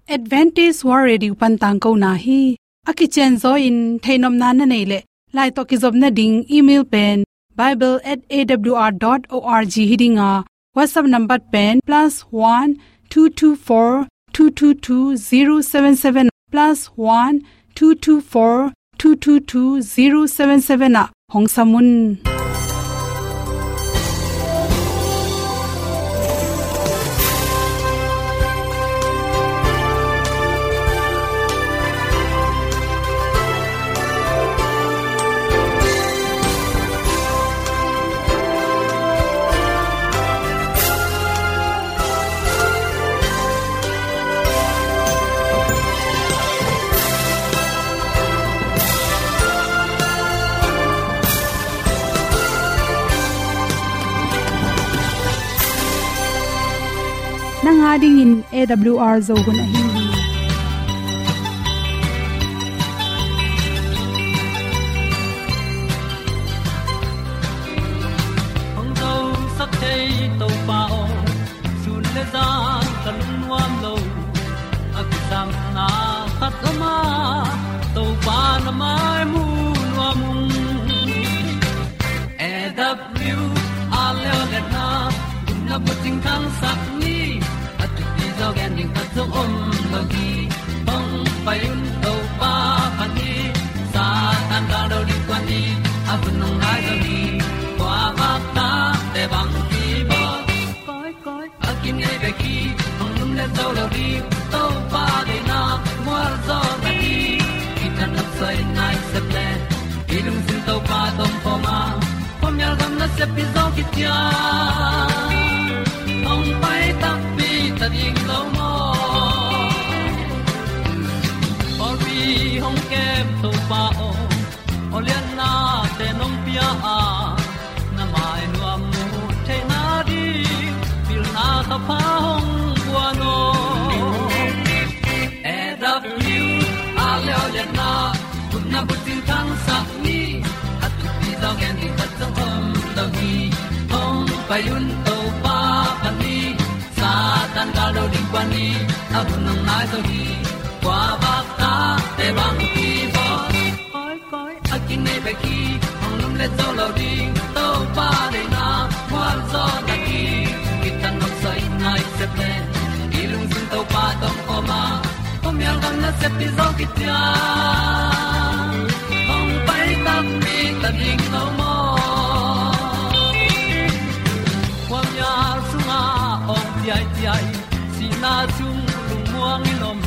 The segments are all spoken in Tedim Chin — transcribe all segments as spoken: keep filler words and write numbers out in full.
Adventist World Radio pan tangkona hi. A kicianzaw in theihnopna na neih leh, lai tawh kizopna ding email pen bible at A W R dot org hi ding a, WhatsApp number pen plus one two two four two two two zero seven seven, plus one two two four two two two zero seven seven ah hong sam un. Nang a dingin A W R Zo hun ahi hi. Hong zosak thei Topa aw, sun le zan ka lungnuam lo. A kisapna khat om a, Topa na mai mu nuam ung. A W R leo le na, gupna bucing khangsak ni, a thupi zaw gen ding khat zong om lo hi. Hong pai un Topa phat ni, Satan gal do ding kuan ni, a hun hong nai zo hi. Kua vak ta te bang ki bawl. Koi, koi, a kinei bek hi, hong lum le zo lo ding, Topa deihna mual zaw na hi. Kithat nop soi nai sep le, i lungsim Topa tawh om khawm a, khuamial gam nasep hi zaw kician. Hong pai takpi ta ding lo maw? Pawlpi hong kem Topa aw, awliatnate nong pia a, na mai nuam mu theihna ding pilna thupha hong guan aw. A W R leo le na, gupna bucing khangsak ni, a thupi zaw gen ding khat zong om lo hi. Hong pai un Topa phat ni, Satan gal do ding kuan ni, a hun hong nai zo hi. Kua vak ta te bang ki bawl. Koi, koi, a kinei bek hi, hong lum le zo lo ding, Topa deihna mual zaw na hi. Kithat nop soi nai sep le, i lungsim Topa tawh om khawm a, khuamial gam nasep hi zaw kician. Hong pai takpi ta ding lo maw? Khuamial sungah awng ciaiciai, sihna sung lungmuang in om,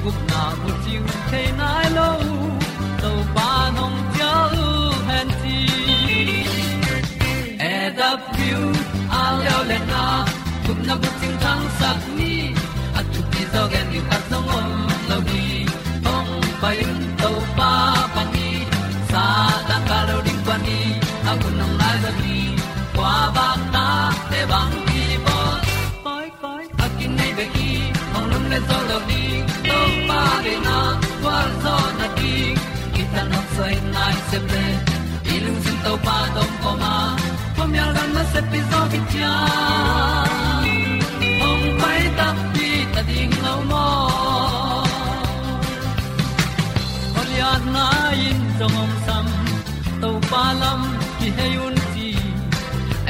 gupna bucing thei nai lo, Topa nong cial hen ci. A W R leo le na, gupna bucing khangsak ni, a thupi zaw gen ding khat zong om lo hi. Hong pai un Topa phat ni, Satan gal do ding kuan ni, a hun hong nai zo hi. Kua vak ta te bang ki bawl. Koi, koi, a kinei bek hi, hong lum le zo lo ding, Topa deihna mual zaw na hi. Kithat nop soi nai sep le, i lungsim Topa tawh om khawm a, khuamial gam nasep hi zaw kician. Hong pai takpi ta ding lo maw? Awliatna in zong hong sam, Topa lam kihei un ci.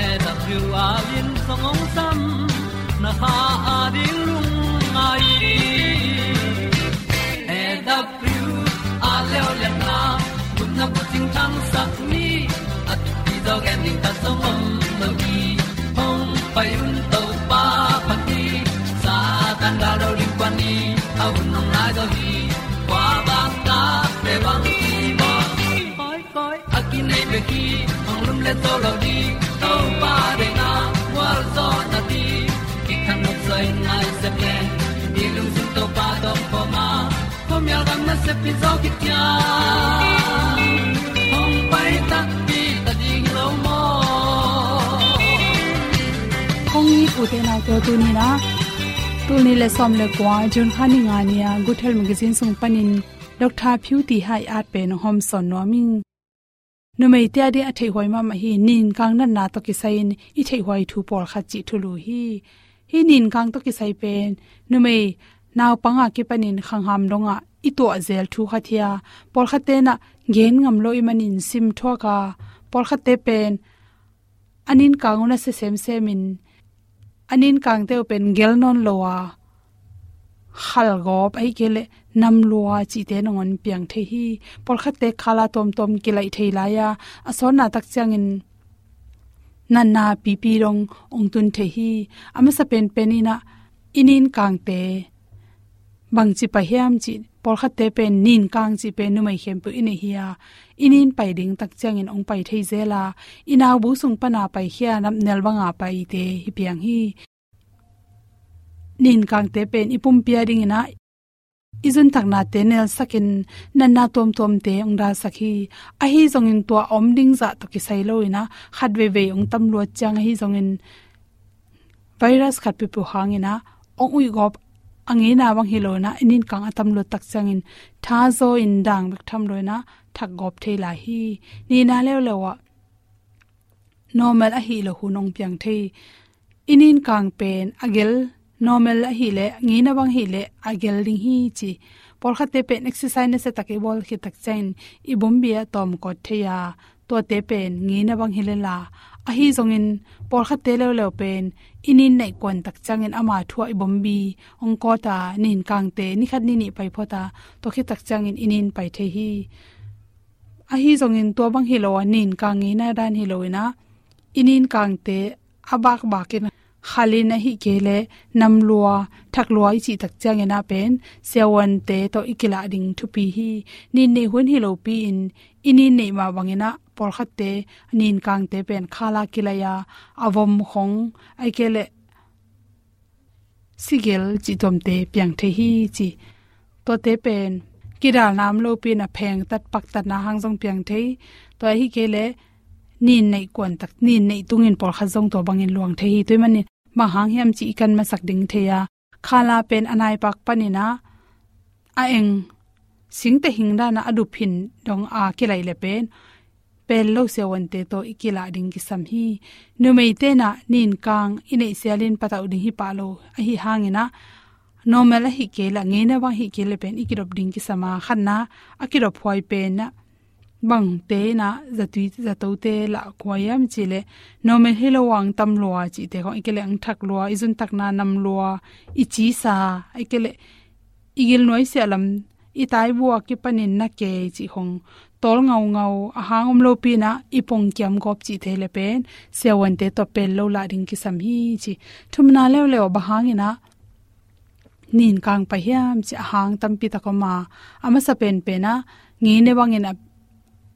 A W R in zong hong sam, na kha a ding lungngai. A W R leo le na, gupna bucing khangsak ni, a thupi zaw gen ding khat zong om lo hi. Hong pai un Topa phat ni, Satan gal do ding kuan ni, a hun hong nai zo hi. Kua vak ta te bang ki bawl. Koi, koi, a kinei bek hi, hong lum le zo lo ding, Topa deihna mual zaw na hi. Kithat nop soi nai sep le, i lungsim Topa tawh om khawm a, khuamial gam nasep hi zaw kician. Hong pai takpi ta ding lo maw? Kong it u te nau te, tuni-in ah, tul nih le sawm le kua, June kha ni nga ni-a Good Health Magazine sung panin Doctor Phiu Ti Hai at pen hong hawmsawn nuam ing. Numeite ading a theihhuai mahmah hi, ninkang natna tawh kisai-in i theihhuai thu pawlkhat cih thulu hi. Hih ninkang tawh kisai pen numei naupang a kipanin khangham dongah i tuah zel thu khat hi a, pawlkhatte in ah gen ngam lo ahih manin sim thuak a, pawlkhatte pen a ninkang uh nasia semsem in, a ninkangte uh pen gel nawn lo a, khalgawp ahih kei leh namlua cihte nangawn piang thei hi. Pawlkhatte khala tuamtuam kilaih thei lai a, a sawtna tak ciangin natna pipi dong hong tun thei hi. A masa penpen in ah i ninkangte bangci pai hiam cih, pawlkhatte pen ninkang cih pen numei khempeuh i neih hi a, i nin pai ding tak ciangin hong pai thei zel a, i naubu sung pana paikhia napnel banga paite hi piang hi. Ninkangte pen i pumpi a dingin ah i zuntaknate nelsakin natna tuamtuamte hong dalsak hi. Ahi zongin tua om ding zah tawh kisai lo in ah khat veivei hong tam luat ciang ahi zongin virus khat pipiu hangin ah hong uihgawp a ngeina bang hi lo in ah i ninkang a tam luat tak ciangin thazaw in dang bek tham lo in ah thakgawp thei lai hi. Nihna leuleu ah normal ahi lo hun hong piang thei. I ninkang pen a gel, normal ahi leh, ngeina bang hi leh a gel ding hi ci. Pawlkhatte pen exercise nasia tak i bawl khit tak ciangin i bombi a tawm kawt thei a, tuate pen ngeina bang hi leh la. Ahi zongin pawlkhatte leuleu pen i nin neih kuan tak ciangin ama thu ah i bombi hong kawt a, ninkangte ni khat ni nih pai phot a, tua khit tak ciangin i nin pai thei hi. Ahi zongin tua bang hi lo a, ninkang ngeina dan hi lo in ah i ninkangte a bakbak in khalin ahih kei leh namlua, thaklua i cih tak ciangin ah pen siavuante tawh i kilah ding thupi hi. Nin neih hun hi lopi in i nin neih mah bangin ah pawlkhatte ninkangte pen khala kilaih a, a vom khong ahih kei leh sigel cih tuamte piang thei hi ci. Tuate pen kidalna om lopi in a phengtat paktatna hang zong piang thei. Tua ahih kei leh nin neih kuan tak, nin neih tungin pawlkhat zong tua bangin luang thei hi. Tua ahih manin bang hang hiam cih i kan masak ding thei a, khala pen a naipak panin ah a eng singteh hing dan ah a dup hin dong a kilaih leh pen pel lo siavuante tawh i kilah ding kisam hi. Numeite in ah ninkang i neih sialin patauh ding hi pah lo ahi hangin ah normal ahih kei leh, ngeina bang ahih kei leh pen i kidop ding kisam a, khatna a kidop huai pen ah bangte in ah zatui zatote lah kua hiam cih leh normal hi lo a hong tam lua cihte khong, ahih kei leh hong thak lua, i zuntakna nam lua, i cisa, ahih kei leh i gilnuai siah lam, i taibu a kipanin na kei cih khong, tawl ngaungau, a hang om lopi in ah i pongkiam gawp cihte leh pen siavuante tawh pel lo lah ding kisam hi ci. Thumna leuleu ah bang hangin ah ninkang pai hiam cih a hang tampi tak om a, a masa penpen ah ngeina bangin a,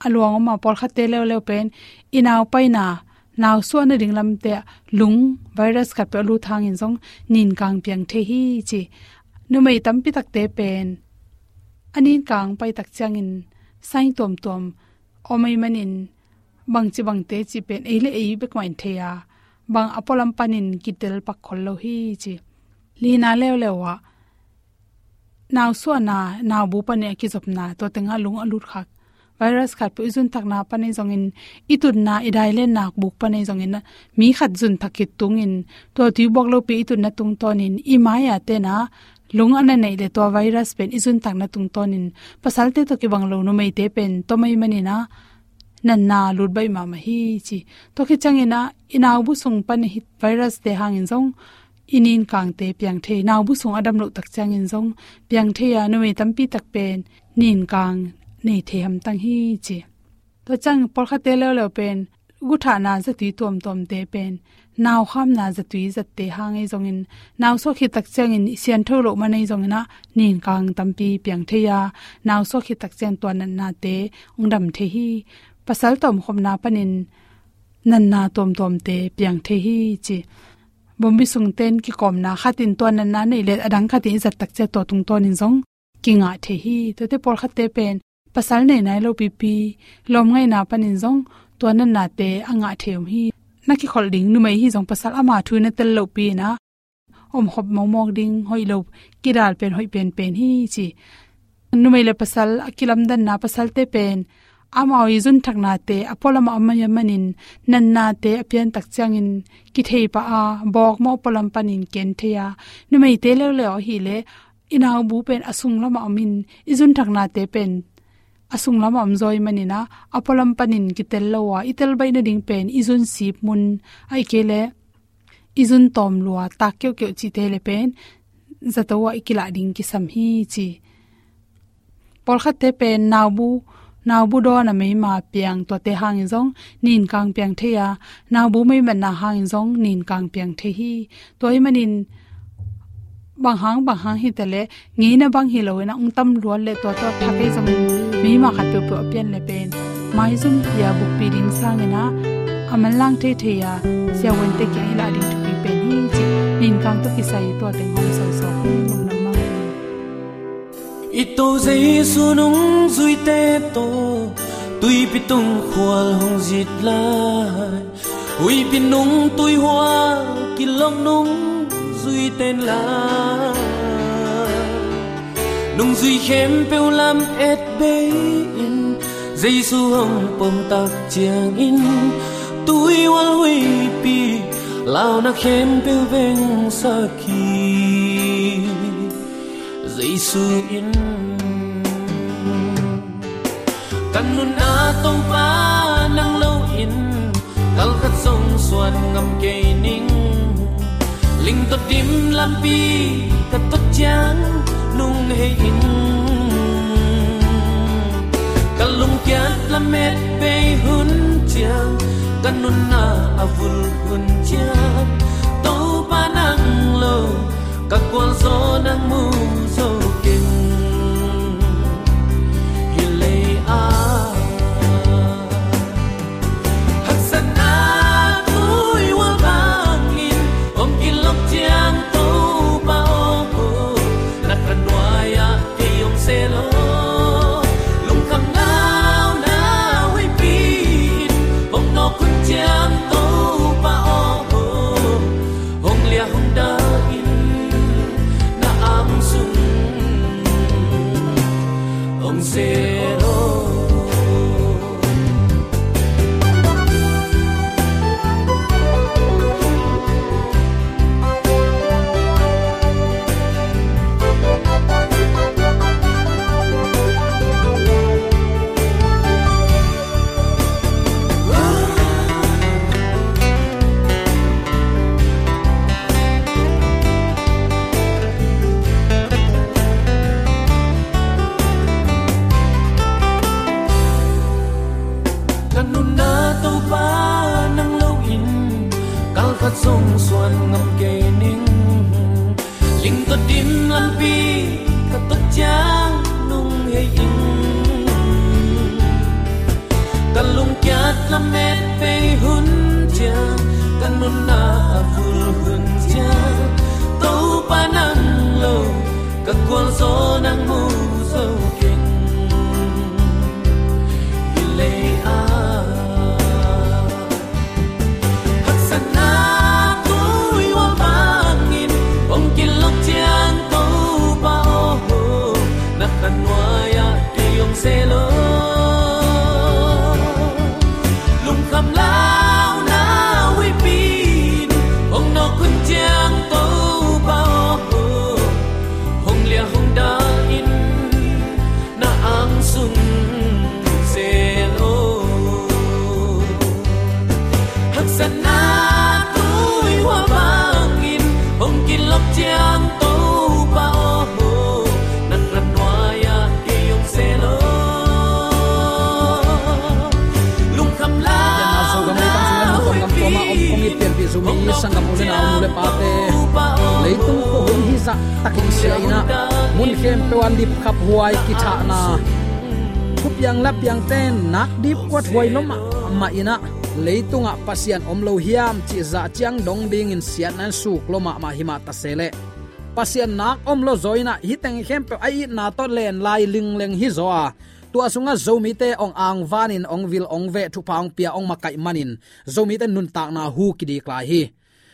a luang om a, pawlkhatte leuleu pen i nau paina, nau suahna ding lamte ah lung virus khat peuh a lut hangin zong ninkang piang thei hi ci. Numei tampi takte pen a ninkang pai tak ciangin sign tuamtuam om ahih manin bangci bangte cih pen ei le ei bek mah in thei a, bang a pualam panin kitel pak khol lo hi ci. Lina leuleu ah nau suahna, nau bu panin a kizopna, tua tengah lung a lut khak virus khat peuh i zuntakna pan ahi zongin, i tutna, i dailenna buk pan ahi zongin, mi khat zuntak khit tungin, tua tui buak lopi i tutna tungtawnin i mai-a te in ah lung a na neih leh tua virus pen i zuntakna tungtawnin pasalte tawh kibang lo numeite pen tom ahih manin ah natna lut baih mahmah hi ci. Tua khit ciangin ah i naubu sung pan hih virus te hangin zong i ninkangte piang thei, naubu sung a dam loh tak ciangin zong piang thei a, numei tampi tak pen ninkang nei thei hamtang hi ci. Tua ciang pawlkhatte leuleu pen guthahna zatui tuamtuamte pen naukhamna zatui zatte hang ahi zongin, nau suah khit tak ciangin i siangtho loh man ahi zongin ah ninkang tampi piang thei a, nau suah khit tak ciang tua natnate hong dam thei hi. Pasal tawmkhopna panin natna tuamtuamte piang thei hi ci. Bombi sungten kikawmna, khat in tua natna nei leh a dang khat in i zat tak ciang tua tungtawnin zong kingah thei hi. Tuate pawlkhatte pen pasal nei nai lo pipi lawmngaihna panin zong tua natnate a ngah thei om hi. Na kikholh ding numei hi zong pasal ama thu na tel lohpi in ah omkhop mawkmawk ding hoih lo, kidal pen hoih penpen hi ci. Numei le pasal a kilamdanna, pasalte pen amau i zuntaknate a pualam a om ahih manin natnate a pian tak ciangin kithei pah a, bawkmawh pualam panin ken thei a, numeite leuleu ahih leh i naubu pen a sunglamah om in, i zunthaknate pen a sunglamah om zaw ahih manin ah, a pualam panin kitel lo a, i tel baih nading pen i zun sip mun, ahih kei leh i zun tawm lua, tak keuhkeuh cihte leh pen zato ah i kilah ding kisam hi ci. Pawlkhatte pen naubu, naubu dawn a meima piang, tuate hangin zong ninkang piang thei a, naubu meimatna hangin zong ninkang piang thei hi. Tua ahih manin bang hang, bang hang hi ta leh, ngeina bang hi lo in ah, ong tam luat leh tua tawh thak ei zongin meima khat peuhpeuh a pian leh pen maizum pia bukpi ding sangin ah, a manlang theithei a siavuante kiang i lah ding thupi pen hi ci. Ninkang tawh kisai tua teng hong sawlsawk hi. Lungdam mahmah. I Topa Jesu nungzuite tawh tuipi tung khual hong zit lai, huihpi nung tuihual kilawng nungzuite in la, nungzui khempeuh lamet bei-in Jesu hong pom tak ciangin, tuihual huihpi launa khempeuh vengsak hi. Jesu in ka nunna Topa nang lo in, kal khat zong suan ngam kei ning. Ling tawh dim lampi ka tot ciang nung hei in, ka lungkiat lamet bei hun ciang, ka nunna a vul hun ciang, Topa nang lo ka gualzo nang mu zo keng. Hi lei a haksatna tuihual bangin hong kilawk ciang, Topa aw, na kha nuai-ah kei hong se lo. Lungkham launa huihpi in hong nawk hun ciang, Topa aw, hong liah hong dah in na ang sung hong se lo. Ka nunna Topa nang lo in, kal khat zong suan ngam kei ning. Ling tawh dim lampi ka tot ciang nung hei in, ka lungkiat lamet bei hun ciang, ka nunna a vul hun ciang, Topa nang lo ka gualzo nang mu zo keng. Hi lei a haksatna tuihual bangin hong kilawk ciang, Topa aw, na kha nuai-ah kei hong se lo. Lungkham launa huihpi in hong nawk hun ciang, Topa aw, hong liah hong dah in na ang sung se lo. Haksatna tuihual bangin hong kilawk ciang, Topa aw, na kha nuai-ah kei hong se lo. Lungkham launa huihpi in hong nawk hun ciang, Topa aw, hong liah hong dah in na ang sung se lo. Pianna Zogam lei tang sung lam Zogam kuama om kong it pianpih Zomi sanggam u le nau, nu le pate, leitung khuahun hizah takin sia in ah, mun khempeuh ah dipkhaphuai kithahna, thupiang lapiangte nak dipkuathuai lua mahmah in ah, leitungah Pasian om lo hiam cih zah ciang dong dingin siatna in suk lua mahmah hi mah ta se leh, Pasian nak om lo zaw in ah, hih teng khempeuh a itna tawh len lai lingleng hi zaw a, tua sungah Zomite hong angvanin hong vil hong veh, thupha hong pia, hong makaih manin Zomite nuntakna hu kidik lai hi.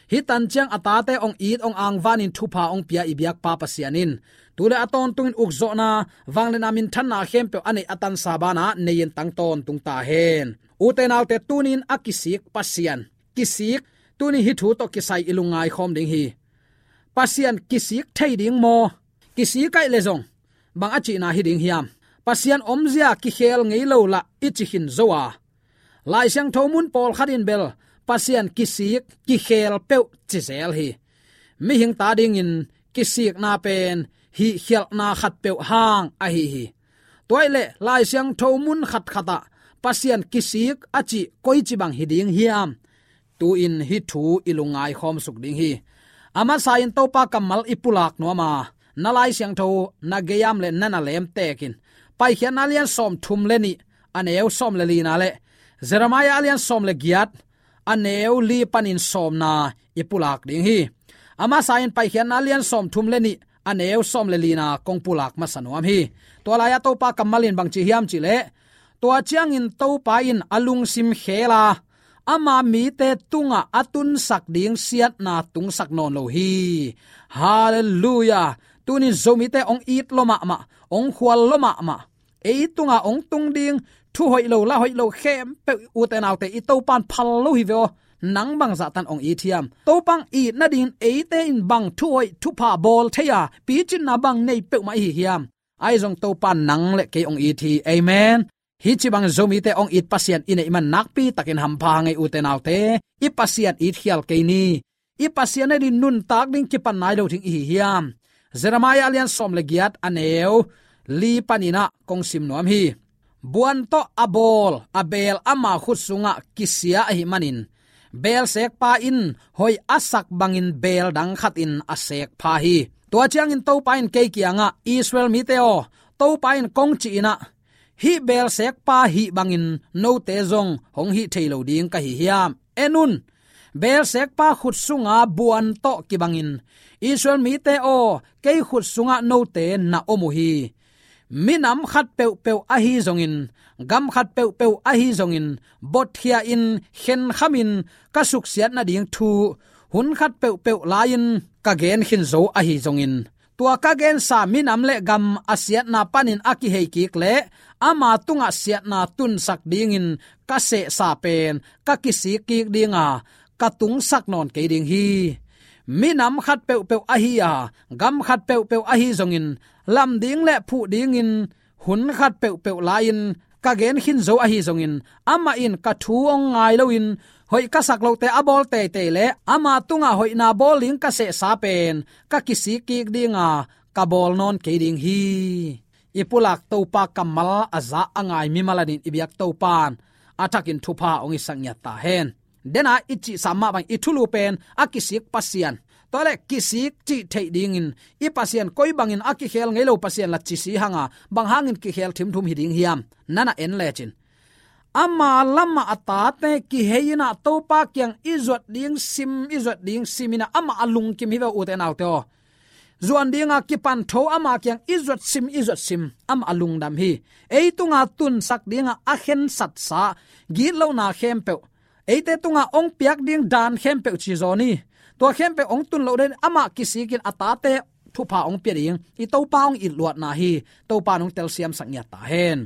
Hih tan ciang a tate hong it hong angvanin thupha hong pia i biakpa Pasian in, tu le a tawntungin ukzawhna, vangliatna, minthanna khempeuh a neih a tansa banah nei-in tang tawntung ta hen. Ute naute, tuni-in a kisik Pasian, kisik, tuni hih thu tawh kisai i lungngai khawm ding hi. Pasian kisik thei ding maw? kisik ahih leh zong bang a cihna hi ding hiam? Pasian omzia kikhel ngei lo lah i ci khin zo a, Lai Siangtho mun pawlkhat in bel Pasian kisik, kikhel peuh ci zel hi. Mihing ta dingin kisikna pen hihkhialhna khat peuh hang ahi hi. Tua ahih leh Lai Siangtho mun khatkhat ah Pasian kisik a cih koici bang hi ding hiam? Tu-in hih thu i lungngai khawm suk ding hi. A masa-in Topa kammal i pulak nuam a, na Lai Siangtho na gei-am leh na na lemtekin Paikhiatna a lian sawmthum leh nih, a neu sawm leh lina leh Jeremiah a lian sawm leh giat, a neu li panin sawmna i pulak ding hi. A masa-in Paikhiatna a lian sawmthum leh nih, a neu sawm leh lina kong pulak masa nuam hi. Tua lai-ah Topa kammal in bang ci hiam cih leh, tua ciangin Topa in a lungsim khel a, ama mite tungah a tunsak ding siatna tungsak nawn lo hi. Halleluiah. Tuni-in Zomite hong it lua mahmah, hong khual lua mahmah, ei tungah hong tung ding thu hoih lo, la hoih lo khempeuh, ute naute, i Topa in phal lo hi ve aw. Nang bangzah tan hong it hiam? Topa hong it nadingin eite in bang thu hoih thupha bawl thei a, picinna bang nei peuhmah i hi hiam? Ahi zong Topa in nang leh kei hong it hi. Amen. Hih ci bangin Zomite hong it Pasian i neih man nakpi takin hampha hang ei, ute naute. I Pasian it khial kei ni. I Pasian adingin nuntak ding kipan nai lo ding i hi hiam? Jeremiah a lian sawm leh giat, a neu li panin ah kong sim nuam hi. Buan tawh a bawl a beel ama khut sungah kisia ahih manin, beelsekpa in hoih a sak bangin beel dang khatin a sekpha hi. Tua ciangin Topa in kei kiangah, Israel mite aw, Topa in kong cih in ah, hih beelsekpa hih bangin note zong hong hih thei lo ding ka hi hiam? En un, beelsekpa khut sunga buan tawh kibangin, Israel mite aw, kei khut sungah note na om uh hi. Minam khat peuhpeuh ahi zongin, gam khat peuhpeuh ahi zongin, botkhia-in, khenkhamin ka suksiat nading thu, hun khat peuhpeuh lai-in ka gen khin zo ahi zongin, tua ka gensa minam leh gam a siatna panin a kihei kik leh ama tungah siatna tunsak dingin ka sehsa pen ka kisik kik ding a, ka tungsak nawn kei ding hi. Minam khat peuhpeuh ahi a, gam khat peuhpeuh ahi zongin, lam ding leh phuh dingin hun khat peuhpeuh lai-in ka gen khin zo ahi zongin, amah in ka thu hong ngai loin, hoih ka sak lote a bawl teitei leh ama tungah hoihna bawl ding ka sehsa pen ka kisik kik ding a, ka bawl nawn kei ding hi. I pulak Topa kammal a za a ngai mimal adingin i biak Topa in a thakin thupha hong hisak ngiat ta hen. Dena i cihsa mah bangin i thulu pen a kisik Pasian, tua leh kisik cih theih dingin i Pasian koi bangin a kikhel ngei lo Pasian la ci si hang a, bang hangin kikhel thimthum hi ding hiam? Na na en lecin, ama lamah a tate kihei in ah Topa kiang i zuat ding sim, i zuat ding sim in ah amah a lungkim hi ve, ute naute aw. Zuan ding a kipan tho ama kiang i zuat sim, i zuat sim, amah a lungdam hi. Ei tunga tunsak ding a a khensatsa gitlohna khempeuh, eite tunga hong piak ding dan khempeuh ci zaw ni. Tua khempeuh hong tun loh dingin amah kisikin a tate thupha hong pia ding, i Topa hong it luatna hi. Topa in hong telsiamsak ngiat ta hen.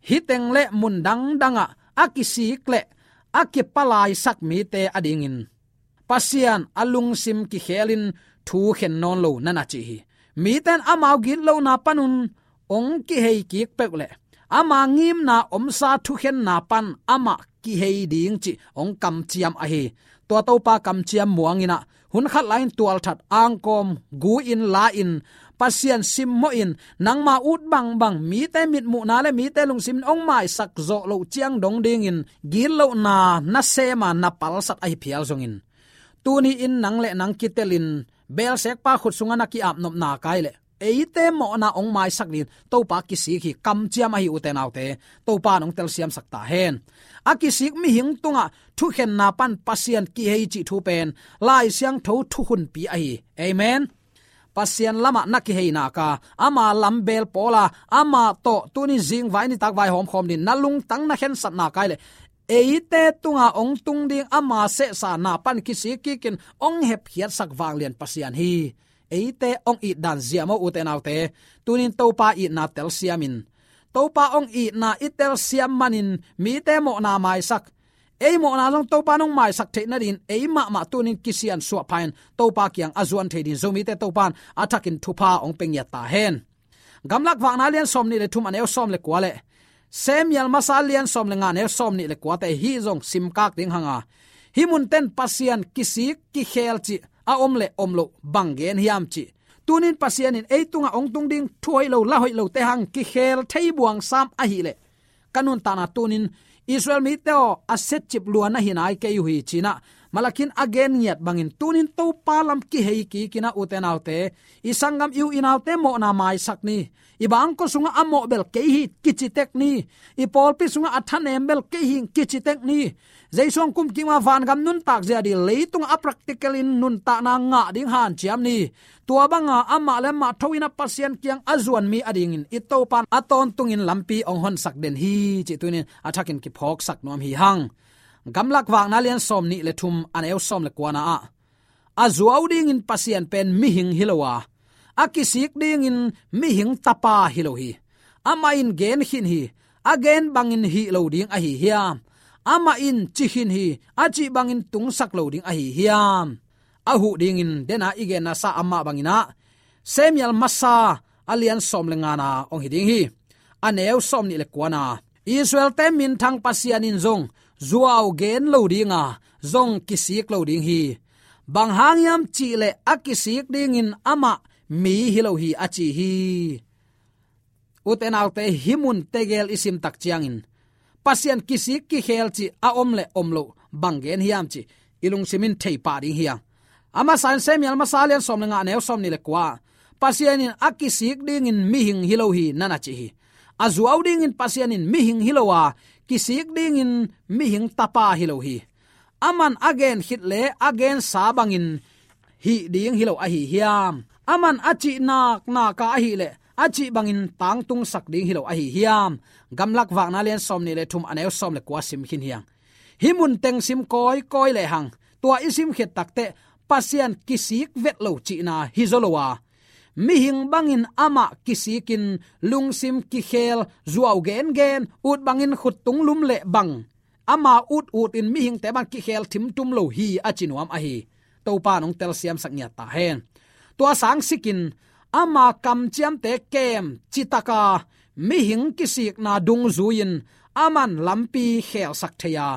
Hih teng leh mun dangdang ah a kisik leh a kipalaisak mite adingin Pasian a lungsim kikhelin thu khen nawn lo na na ci hi. Mite in amau gitlohna panun hong kihei kik peuh leh, ama ngimna omsa thukhenna pan amah kihei ding cih hong kamciam ahi. Tua Topa kamciam muang in ah, hun khat lai-in tualthat angkawm gu-in la-in, Pasian simmawhin, nangma ut bangbang mite mitmuhna leh mite lungsim in hong maisak zawh loh ciang dong dingin gitlohna na sem a, na palsat ahi phial zongin, tuni-in nang leh nang kitelin beelsekpa khut sungah na ki-apnopna kai leh, eite mawhna hong maisak dingin Topa kisik hi, kamciam ahi, ute naute. Topa in hong telsiamsak ta hen. A kisik mihing tungah thukhenna pan Pasian kihei cih thu pen Lai Siangtho thukhunpi ahi. Amen. Pasian lamah na kihei nak a, ama lam beel pawl a, amah tawh tuni zingvai nitak vaihawm khawm dingin na lungtang na khensat nak a hih leh, eite tunga hong tung ding ama sehsa na pan kisik kikin hong hepkhiatsak vanglian Pasian hi. Eite hong it dan zia maw, ute naute? Tuni-in Topa itna telsiam in. Topa hong itna i telsiam manin mite mawhna maisak, ei mawhna zong Topa in hong maisak theih nadingin ei mahmah tunin kisian suah pha-in Topa kiang a zuan thei dingin Zomite Topa in a thakin thupha hong pia ngiat ta hen. Gamlak Vakna lian sawm nih le thum a neu sawm le kua le Samuel masa lian sawm le nga a neu sawm nih le kuate hih zong simkak ding hang a, hih munten Pasian kisik kikheel cih a om le om loh bang gen hiam cih. Tunin Pasian in ei tungah hong tung ding thu hoih lo la hoih lote hang kikheel thei buang sam ahih leh, ka nuntakna tunin Israel mite aw, a setcip lua na hi nai kei uh hi ci-in ah Malakhi in a gen ngiat bangin tunin Topa lam kihei kik in ah, ute naute, i sanggam, i u i naute mawhna maisak ni. I bangkua sungah a mawh bel kei hi kici tek ni. I pawlpi sungah a thanem bel kei hi kici tek ni. Jesu hong kum kik ma vangam nuntak zia ding, leitungah a practical in nuntakna ngah ding hanciam ni. Tua banga amah le amah tho in ah Pasian kiang a zuan mi adingin i Topa in a tawntungin lampi hong honsak den hi cih tunin a thakin kiphawksak nuam hi hang. Gamlak Vakna lian sawm nih le thum a neu sawm le kuana ah, a zuau dingin Pasian pen mihing hi lo a, a kisik dingin mihing tapa hi lo hi. Amah in gen khin hi, a gen bangin hih lo ding ahi hiam? Amah in ci khin hi, a cih bangin tungsak lo ding ahi hiam? A huh dingin dena i genna sa amah bangin ah Samuel masa a lian sawm le ngana hong hi ding hi. A neu sawm nih le kuana, Israelte minthang Pasian in zong zuau gen lo ding a, zong kisik lo ding hi. Bang hang hiam cih leh a kisik dingin amah mi hi lo hi a ci hi. Ute naute, hih mun tegel i sim tak ciangin Pasian kisik kikheel cih a om le om loh bang gen hiam cih i lungsim in thei pah ding hi hang. A masa in Samuel masa lian sawm le nga a neu sawm nih le kua, Pasian in a kisik dingin mihing hi lo hi na na ci hi. A zuau dingin Pasian in mihing hi lo a, kisik dingin mihing tapa hi lo hi. Aman a gen khit le a gensa bangin hih ding hi lo ahi hiam? Aman a cih naknak a ahih leh a cih bangin tangtungsak ding hi lo ahi hiam? Gamlak Vakna lian sawm nih le thum a neu sawm le kua sim khin hi hang. Hih mun teng sim kawikawi le hang, tua i sim khit takteh Pasian kisik vet lo cihna hi zaw lo a, mihing bangin amah kisikin lungsim kikheel, zuau gengen, ut bangin khuttung lum le bang, ama ut utin mihingte bang kikheel thimtum lo hi a ci nuam ahi. Topa in hong telsiamsak ngiat ta hen. Tua sangsikin ama kamciamte kem citaka mihing kisikna dungzui-in aman lampi kheelsak thei a,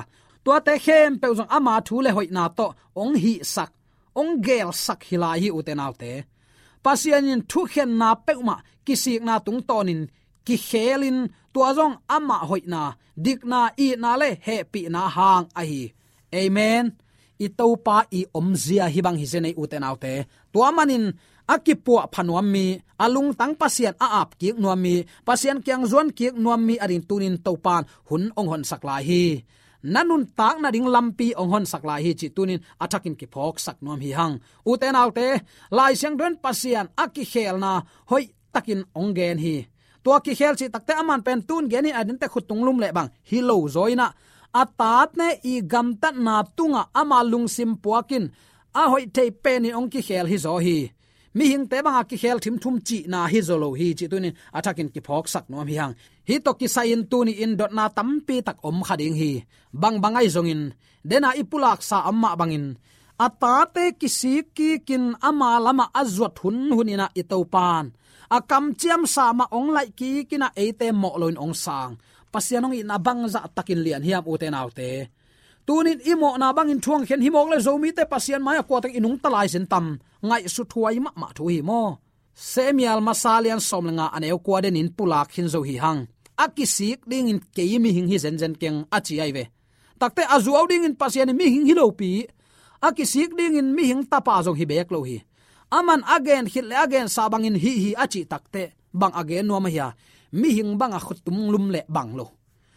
tuate khempeuh zong ama thu le hoihna tawh hong hihsak, hong geelsak hi lai hi, ute naute. Pasian in thukhenna peuhmah kisikna tungtawnin kikheelin, tua zong amah hoihna, dikna, itna le hehpihna hang ahi. Amen. I Topa i omzia hih bang hi zen ei, ute naute. Tua manin a kipuah pha nuam mi, a lungtang Pasian a ap kik nuam mi, Pasian kiang zuan kik nuam mi ading tunin Topa in hun hong honsak lai hi. Na nuntak nading lampi hong honsak lai hi cih tunin a thakin kiphawksak nuam hi hang. Ute naute, Lai Siangtho in Pasian a kikheelna hoih takin hong gen hi. Tua kikheel cih takteh aman pen tun genin a dente khuttung lum le bang hi lo zaw in ah, a tate i gamtatna tungah ama lungsim puakin a hoih thei penin hong kikheel hi zaw hi. Mihingte banga kikheel thimtum cihna hi zaw lo hi cih tunin a thakin kiphawksak nuam hi hang. Hih tawh kisai-in tuni-in dotna tampi tak om kha ding hi. Bang bang ahi zongin, dena i pulaksa amah bangin, a tate kisik kikin ama lamah a zuat hunhun in ah i Topa in a kamciamsa mah hong laih kikin ah eite mawh loin hong sang. Pasian hong itna bangzah takin lian hiam, ute naute. Tunin i mawhna bangin thu hong khen hi mawk le Zomite Pasian mai-ah kuatak i nungta lai zen tam, ngaihsut huai mahmah thu hi maw. Samuel masa lian sawm le nga a neu kua denin pulak khin zo hi hang. A kisik dingin kei mihing hi zenzen keng a ci ahi ve. Takteh a zuau dingin Pasian in mihing hi lopi, a kisik dingin mihing tapa zong hi beek lo hi. Aman a gen khit le a gensa bangin hih hi a cih takteh bang a gen nuam ahi a, mihing banga khuttum lum le bang lo.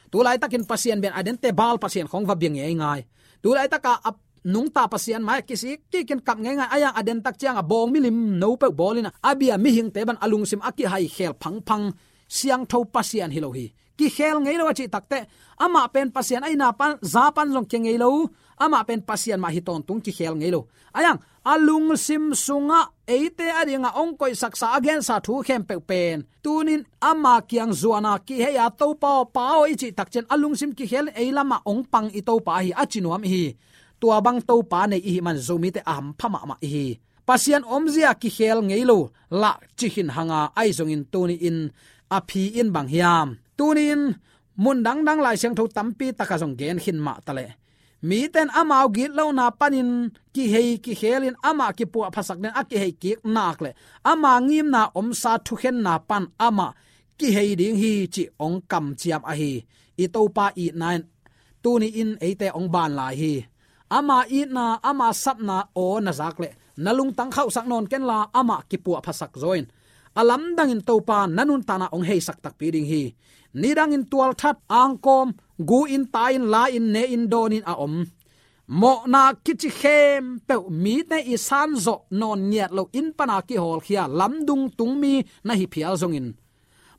Tulaitakin Pasian bia in a dente Baal pasian khawng va bia ngeingai. Tulaitaka a nungta Pasian mai-ah kisik kikin kap ngeingai, a yang a den tak cianga bawng milim no peuh bawlin ah, a bia mihingte bang a lungsim a kihaikhel phangphang, siangtho Pasian hi lo hi. Kikhel ngei lo a cih takteh, amah pen Pasian a ina pan, za pan zong kia ngei lo, amah pen Pasian mah hi tawntung, kikhel ngei lo. A yang a lungsim sungah eite adingah hong koihsaksa a gensa thu khempeuh pen, tunin ama kiang zuana kihei a, Topa aw, Pa aw i cih takciang a lungsim kikhelin ei lamah hong pang i Topa ahi a ci nuam ihi. Tua bang Topa nei ihi man Zomite a hampha mahmah ihi. Pasian omzia kikhel ngei lo lah ci khin hanga, ahi zongin tuni-in a phi in bang hiam? Tuni-in mun dangdang Lai Siangtho tampi taka zong gen khin mah taleh, miten amau gitlona panin kihei kikhelin amah kipuahphasak den a kihei kik nak le ama ngimna omsa thukhenna pan amah kihei ding hi cih hong kamciam ahi. I Topa itna in tuni-in eite hong ban lai hi. Ama itna, ama sapna aw na zak le na lungtang khauhsak nawn kenla amah kipuahphasak zaw in, a lamdangin Topa na nuntakna hong heisak takpi ding hi. Nidangin tualthat, angkawm, gu-in, tai-in, la-in, ne-in, dawn-in a om mawhna kici khempeuh mite i sanzawh nawn ngiat lo in pana kihawlkhia lamdung tungmi na hi phial zongin,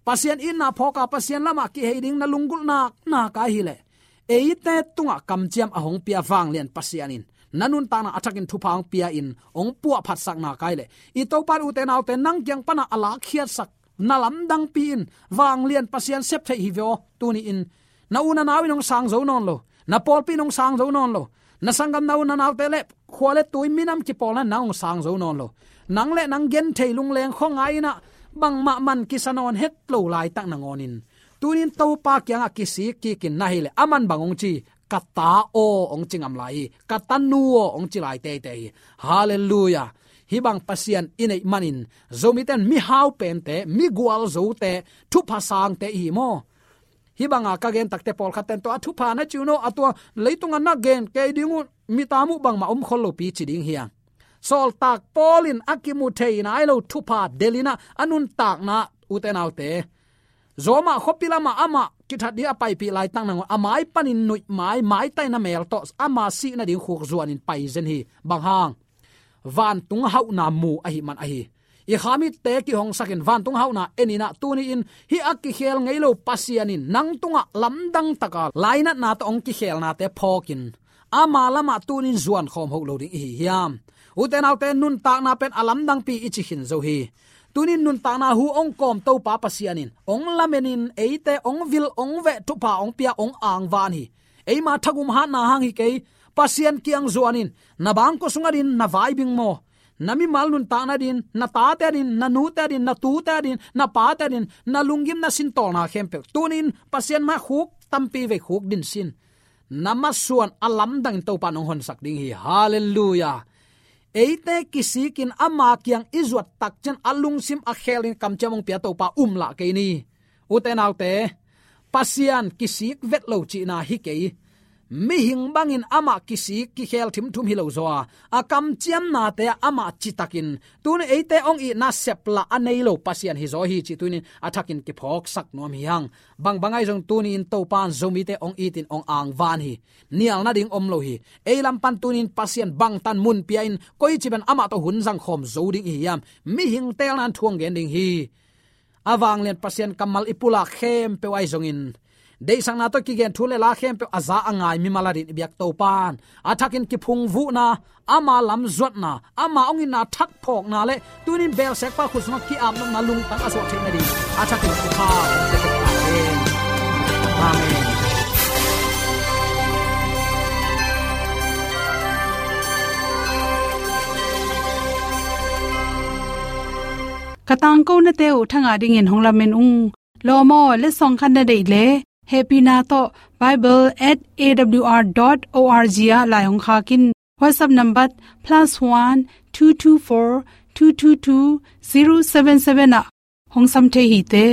Pasian itna phawka Pasian lamah kihei ding na lunggulhna naka hileh, eite tungah kamciam a hong pia vanglian Pasian in na nuntakna a thakin thupha hong pia in hong puahphatsak naka hileh, i Topa in, ute naute, nang kiang pana a lakkhiatsak na lamdangpi in vanglian Pasian sep theih hi veh aw. Tuni-in na u na nau in hong sang zo nawn lo, na pawlpi in hong sang zo nawn lo, na sanggamna u na naute le khua le tui minam kipawlna in nang hong sang zo nawn lo. Nang le nang genthei lungleng khuangai in ah bangmah man kisa nawn het lo laitak nangawnin, tunin Topa kiangah kisik kikin na hileh, aman bang hong ci? Ka ta aw hong ci ngam lai hi. Ka tanu aw hong ci lai teitei hi. Halleluiah. Hih bang Pasian i neih manin Zomite in mihau pente, migualzote, thupha sangte ihi maw? Hih banga ka gen takte pawlkhatte in tua a thupha na ci un aw, a tua leitunga na gen kei ding uh, mitam uh bangmah om khol lopi ci ding hi a. Sawltak Paul in a kimu thei nai lo thupha delh in ah a nuntakna, ute naute, Roma khuapi lamah amah kithat ding a paipih laitak nangawn a mai panin nuih mai, maitaina mel tawh ama sih nading khuk zuanin pai zen hi. Bang hang? Vantung hauhna mu ahih man ahi. I kha mitte kihongsakin vantung hauhna en in ah, tuni-in hih a kikhel ngei lo Pasian in nang tungah lamdang taka lainatna tawh hong kikhelnate phawkin ama lamah tuni-in zuan khawm hoh lo ding ihi hiam? Ute naute, nuntakna pen a lamdangpi i ci khin zo hi. Tuni-in nuntakna hu hong kawm Topa Pasian in hong lamenin eite hong vil, hong veh, thupha hong pia, hong angvan hi. Eima thagum hatna hang hi kei. Pasian kiang zuanin, na bangkua sung adin na vaibing maw? Na mimal nuntakna din, na tate adin, na nute adin, na tute adin, na pate adin, na lunggimna sintawlna khempeuh tuni-in Pasian mai khuk tampi vei khuk din sin. Na masuan a lamdangin Topa in hong honsak ding hi. Halleluiah. Eite kisikin ama kiang i zuat takciang a lungsim a khelin kamciam hong pia Topa um lah kei ni. Ute naute, Pasian kisik vet lo cihna hi kei. Mihing bangin amah kisik kikhel thimthum hi lo zaw a, a kamciamnate ah amah citakin tuni eite hong itna sep lah a nei lo Pasian hi zaw hi cih tuni-in a thakin kiphawksak nuam hi hang. Bangbang ahi zong tuni-in Topa in Zomite hong itin hong angvan hi. Nial nading om lo hi. Ei lam pan tuni-in Pasian bangtan mun pia in koici pen amah tawh hun zangkhawm zo ding ihi hiam? Mihing teelna in thu hong gen ding hi. A vanglian Pasian kammal i pulak khempeuh ahi zongin, deihsakna tawh kigen thu le la khempeuh a za a ngai mimal adin i biak Topa in a thakin kiphungvuhna, ama lam zuatna, ama hong itna thak phawkna le tuni-in belsekpa khut sungah ki-apnopna lungtang a suah theih nading a thakin thupha hong pia tek ta hen. Amen. Ka tangkonate uh thangah dingin hong lamen ung. Lawm aw, letsong khat na deih leh hehpihna tawh bible at A W R dot O R G ah lai hong khak in. WhatsApp number plus one two two four two two two zero seven seven ah hong sam thei hi te.